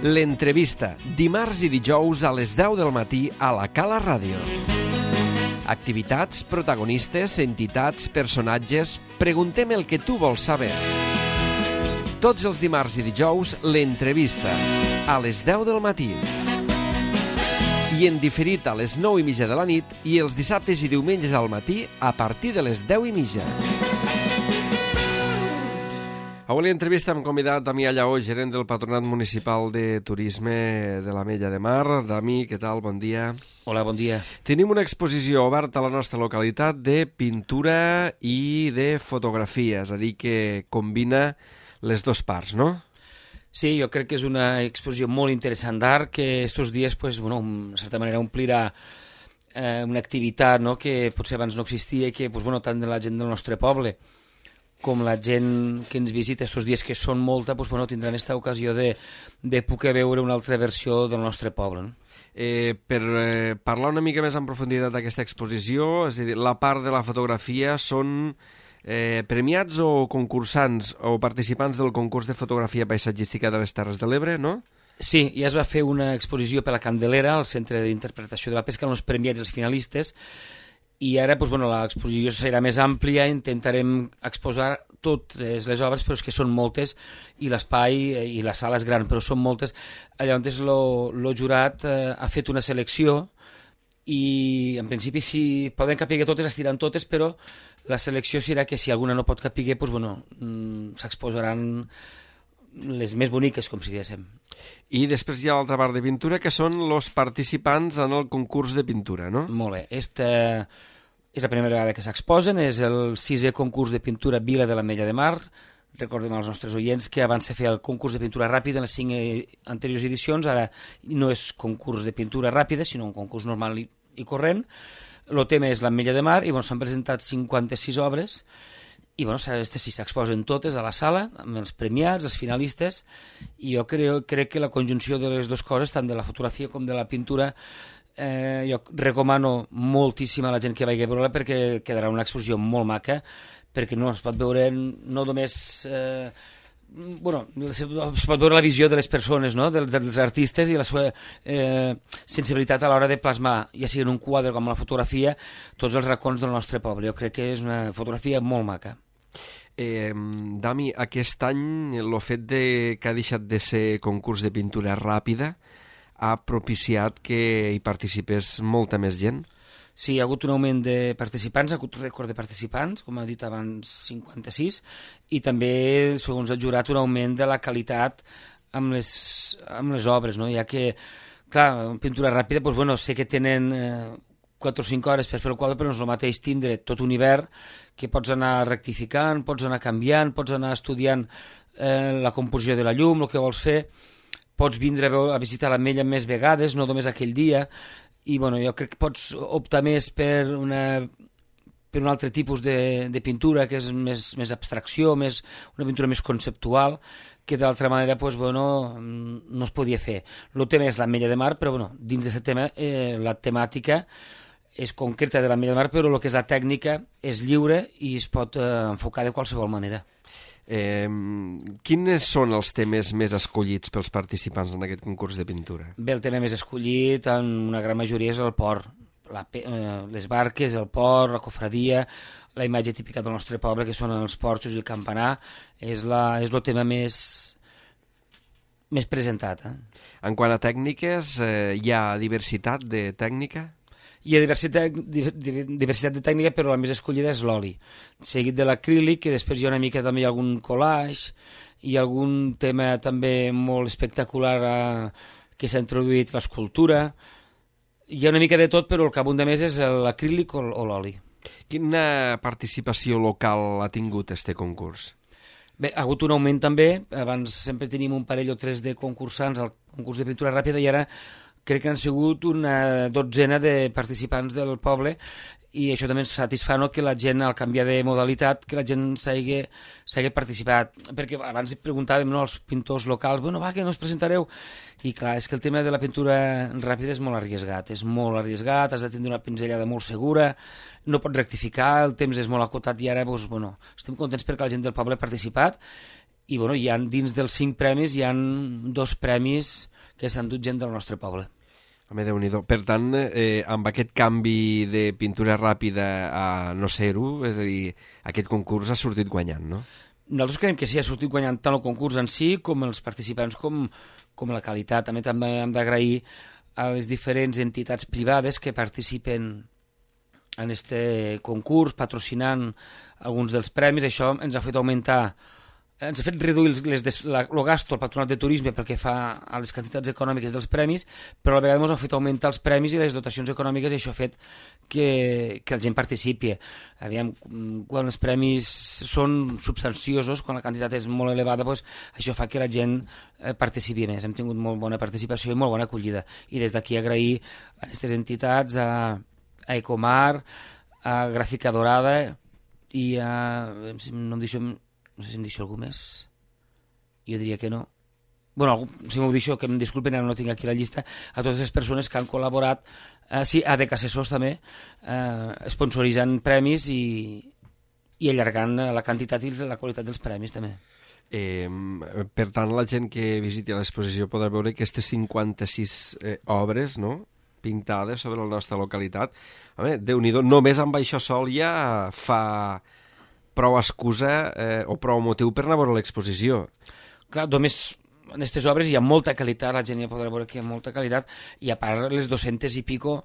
L'entrevista, dimarts i dijous a les 10 del matí a la Cala Ràdio. Activitats, protagonistes, entitats, personatges... Preguntem el que tu vols saber. Tots els dimarts i dijous, l'entrevista, a les 10 del matí. I en diferit a les 9:30 de la nit i els dissabtes i diumenges al matí a partir de les 10:30. Avui l'entrevista hem convidat Damià Lleó, gerent del Patronat Municipal de Turisme de l'Ametlla de Mar. Dami, què tal? Bon dia. Hola, bon dia. Tenim una exposició oberta a la nostra localitat de pintura i de fotografia, és a dir, que combina les dues parts, no? Sí, jo crec que és una exposició molt interessant d'art que estos dies, pues, bueno, en certa manera, omplirà una activitat, no?, que potser abans no existia i que, pues, bueno, tant de la gent del nostre poble com la gent que ens visita estos dies, que són molta, pues, bueno, tindran aquesta ocasió de poder veure una altra versió del nostre poble, no? Per parlar una mica més en profunditat d'aquesta exposició, és a dir, la part de la fotografia són premiats o concursants o participants del concurs de fotografia paisatgística de les Terres de l'Ebre, no? Sí, ja es va fer una exposició per la Candelera, al Centre d'Interpretació de la Pesca, amb els premiats i els finalistes, i ara, doncs, bueno, l'exposició serà més àmplia, intentarem exposar totes les obres, però és que són moltes, i l'espai i la sala és gran, però són moltes. Llavors, el jurat ha fet una selecció i, en principi, si poden capiguer totes, es tiran totes, però la selecció serà que si alguna no pot capiguer, doncs, bueno, s'exposaran les més boniques, com si diguéssim. I després hi ha l'altra part de pintura, que són els participants en el concurs de pintura, no? Molt bé. Esta és la primera vegada que s'exposen, és el 6è concurs de pintura Vila de l'Ametlla de Mar. Recordem als nostres oients que abans se feia el concurs de pintura ràpida en les 5 anteriors edicions, ara no és concurs de pintura ràpida, sinó un concurs normal i corrent. El tema és l'Ametlla de Mar i bueno, s'han presentat 56 obres i bueno, sí, s'exposen totes a la sala, amb els premiats, els finalistes, i jo crec que la conjunció de les dues coses, tant de la fotografia com de la pintura, jo recomano moltíssim a la gent que vagi a veure-la perquè quedarà una exposició molt maca, perquè no es pot veure no només... es pot veure la visió de les persones, no?, dels artistes i la seva sensibilitat a l'hora de plasmar, ja sigui en un quadre com la fotografia, tots els racons del nostre poble. Jo crec que és una fotografia molt maca. Dami, aquest any el fet que ha deixat de ser concurs de pintura ràpida ha propiciat que hi participés molta més gent? Sí, hi ha hagut un augment de participants, ha hagut rècord de participants, com ha dit abans, 56, i també, segons el jurat, un augment de la qualitat amb les obres, no? Ja que, clar, en pintura ràpida, doncs, bueno, sé que tenen 4 o 5 hores per fer el quadre, però no és el mateix tindre tot un hivern que pots anar rectificant, pots anar canviant, pots anar estudiant la composició de la llum, el que vols fer, pots vindre a visitar l'Ametlla més vegades, no només aquell dia, i bueno, jo crec que pots optar més per un altre tipus de pintura, que és més abstracció, una pintura més conceptual, que d'altra manera pues, bueno, no es podia fer. El tema és l'Ametlla de Mar, però bueno, dins d'aquest tema la temàtica és concreta de l'Ametlla de Mar, però el que és la tècnica és lliure i es pot enfocar de qualsevol manera. Quins són els temes més escollits pels participants en aquest concurs de pintura? Bé, el tema més escollit en una gran majoria és el port, les barques, el port, la cofradia, la imatge típica del nostre poble, que són els porxos i el campanar, és el tema més presentat. En quant a tècniques, hi ha diversitat de tècnica? Hi ha diversitat de tècnica, però la més escollida és l'oli, seguit de l'acrílic, que després hi ha una mica també algun collage, i algun tema també molt espectacular que s'ha introduït, l'escultura. Hi ha una mica de tot, però el que abunda més és l'acrílic o l'oli. Quina participació local ha tingut este concurs? Bé, ha hagut un augment també. Abans sempre teníem un parell o 3 de concursants al concurs de pintura ràpida i ara crec que han sigut una 12 de participants del poble i això també ens satisfà, no?, que la gent, al canviar de modalitat, que la gent s'hagi participat, perquè abans preguntàvem, no?, als pintors locals, bueno, va, que no us presentareu, i clar, és que el tema de la pintura ràpida és molt arriscat, has de tindre una pinzellada molt segura, no pots rectificar, el temps és molt acotat, i ara, doncs, bueno, estem contents perquè la gent del poble ha participat, i bueno, dins dels 5 premis hi ha 2 premis que s'han dut gent del nostre poble. Home, Déu-n'hi-do. Per tant, amb aquest canvi de pintura ràpida a no ser-ho, és a dir, aquest concurs ha sortit guanyant, no? Nosaltres creiem que sí, ha sortit guanyant tant el concurs en si com els participants com la qualitat. També hem d'agrair a les diferents entitats privades que participen en aquest concurs, patrocinant alguns dels premis. Això ens ha fet reduir el gasto al Patronat de Turisme pel que fa a les quantitats econòmiques dels premis, però a la vegada ens ha fet augmentar els premis i les dotacions econòmiques, i això ha fet que la gent participi. Aviam, quan els premis són substanciosos, quan la quantitat és molt elevada, doncs això fa que la gent participi més. Hem tingut molt bona participació i molt bona acollida. I des d'aquí agrair a aquestes entitats, a Ecomar, a Gràfica Dorada i a... No sé si em deixo algú més. Jo diria que no. Bueno, si m'ho deixo, que em disculpen, ara no tinc aquí la llista, a totes les persones que han col·laborat, sí, a ADEC Assessors també, sponsoritzant premis i allargant la quantitat i la qualitat dels premis també. Per tant, la gent que visiti l'exposició podrà veure aquestes 56 obres, no?, pintades sobre la nostra localitat. Home, Déu-n'hi-do, només amb això sol ja fa prou excusa o prou motiu per anar a veure l'exposició. Clar, només en aquestes obres hi ha molta qualitat, la gent ja podrà veure que hi ha molta qualitat, i a part les 200 i pico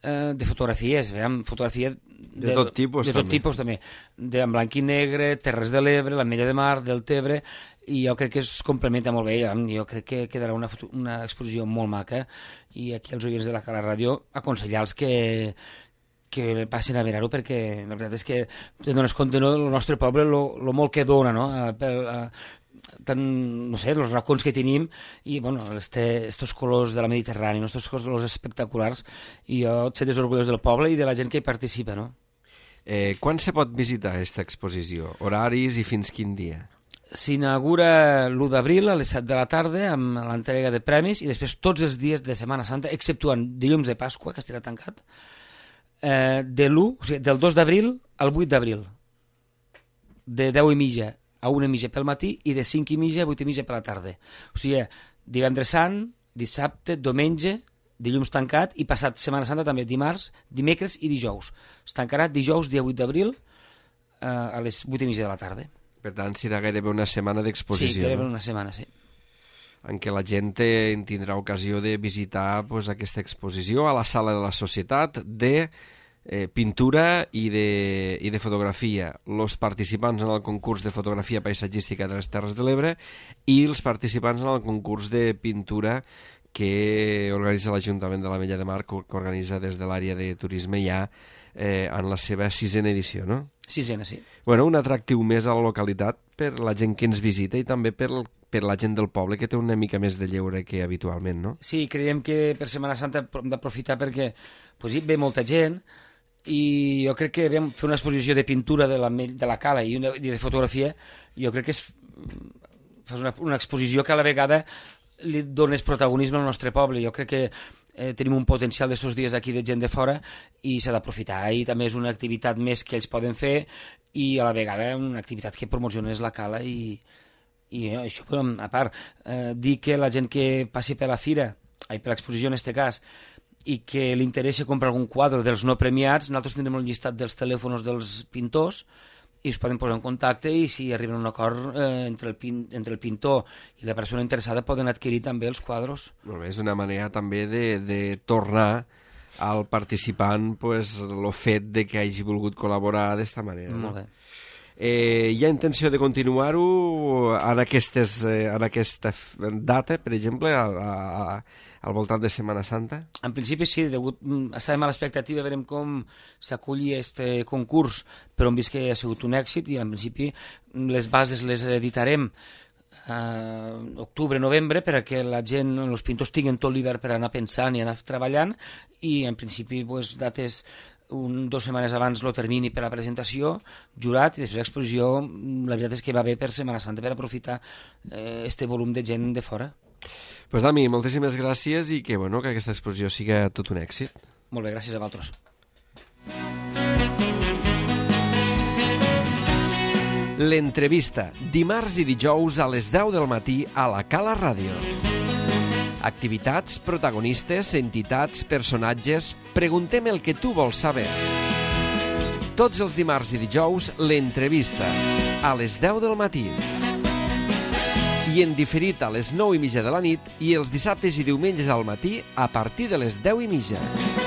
de fotografies, fotografia de tot tipus també, en blanc i negre, Terres de l'Ebre, l'Ametlla de Mar, del Tebre, i jo crec que es complementa molt bé. Jo crec que quedarà una exposició molt maca, i aquí els oients de la Cala Ràdio aconsellar-los que passin a mirar-ho, perquè la veritat és que te dones compte, no?, del nostre poble, lo molt que dona, no?, no sé, els racons que tenim, i bueno, estos colors de la Mediterrània, estos colors espectaculars, i jo et sento orgullós del poble i de la gent que hi participa, no? Quan se pot visitar aquesta exposició? Horaris i fins quin dia? S'inaugura l'1 d'abril a les 7 de la tarda amb l'entrega de premis, i després tots els dies de Setmana Santa, exceptuant dilluns de Pasqua, que estarà tancat, del 2 d'abril al 8 d'abril, de 10:30 a 1:30 pel matí i de 5:30 a 8:30 per la tarda. O sigui, divendres sant, dissabte, diumenge, dilluns tancat, i passat Setmana Santa també dimarts, dimecres i dijous. Es tancarà dijous, dia 8 d'abril, a les 8:30 de la tarda. Per tant, serà gairebé una setmana d'exposició. Sí, gairebé una setmana, sí. En què la gent tindrà ocasió de visitar aquesta exposició a la Sala de la Societat de pintura i de fotografia. Els participants en el concurs de fotografia paisatgística de les Terres de l'Ebre i els participants en el concurs de pintura que organitza l'Ajuntament de l'Ametlla de Mar, que organitza des de l'àrea de turisme ja en la seva 6a edició, no? 6a, sí. Bueno, un atractiu més a la localitat per la gent que ens visita i també per la gent del poble, que té una mica més de lleure que habitualment, no? Sí, creiem que per Setmana Santa hem d'aprofitar perquè ve molta gent, i jo crec que fer una exposició de pintura de la cala i de fotografia, jo crec que fas una exposició que a la vegada li dones protagonisme al nostre poble. Jo crec que tenim un potencial d'estos dies aquí de gent de fora i s'ha d'aprofitar, i també és una activitat més que ells poden fer, i a la vegada una activitat que promocionés la cala, i això, a part, dir que la gent que passi per la fira, per l'exposició en aquest cas, i que li interessa comprar algun quadre dels no premiats, nosaltres tindrem un llistat dels telèfons dels pintors i es poden posar en contacte, i si arriben a un acord entre el pintor i la persona interessada poden adquirir també els quadres. Molt bé, és una manera també de tornar al participant el fet de que hagi volgut col·laborar d'esta manera. Molt bé. Hi ha intenció de continuar-ho en aquesta data, per exemple, al voltant de Setmana Santa? En principi sí, estàvem a l'expectativa, veurem com s'aculli aquest concurs, però hem vist que ha sigut un èxit, i en principi les bases les editarem octubre-novembre perquè la gent, els pintors tinguin tot l'hivern per anar pensant i anar treballant, i en principi dates 2 setmanes abans el termini per la presentació, jurat, i després l'exposició, la veritat és que va bé per Setmana Santa, per aprofitar este volum de gent de fora. Pues Dami, moltíssimes gràcies i que aquesta exposició siga tot un èxit. Molt bé, gràcies a vosaltres. L'entrevista, dimarts i dijous a les 10 del matí a la Cala Ràdio. Activitats, protagonistes, entitats, personatges... Preguntem el que tu vols saber. Tots els dimarts i dijous, l'entrevista, a les 10 del matí. I en diferit a les 9:30 de la nit i els dissabtes i diumenges al matí a partir de les 10:30.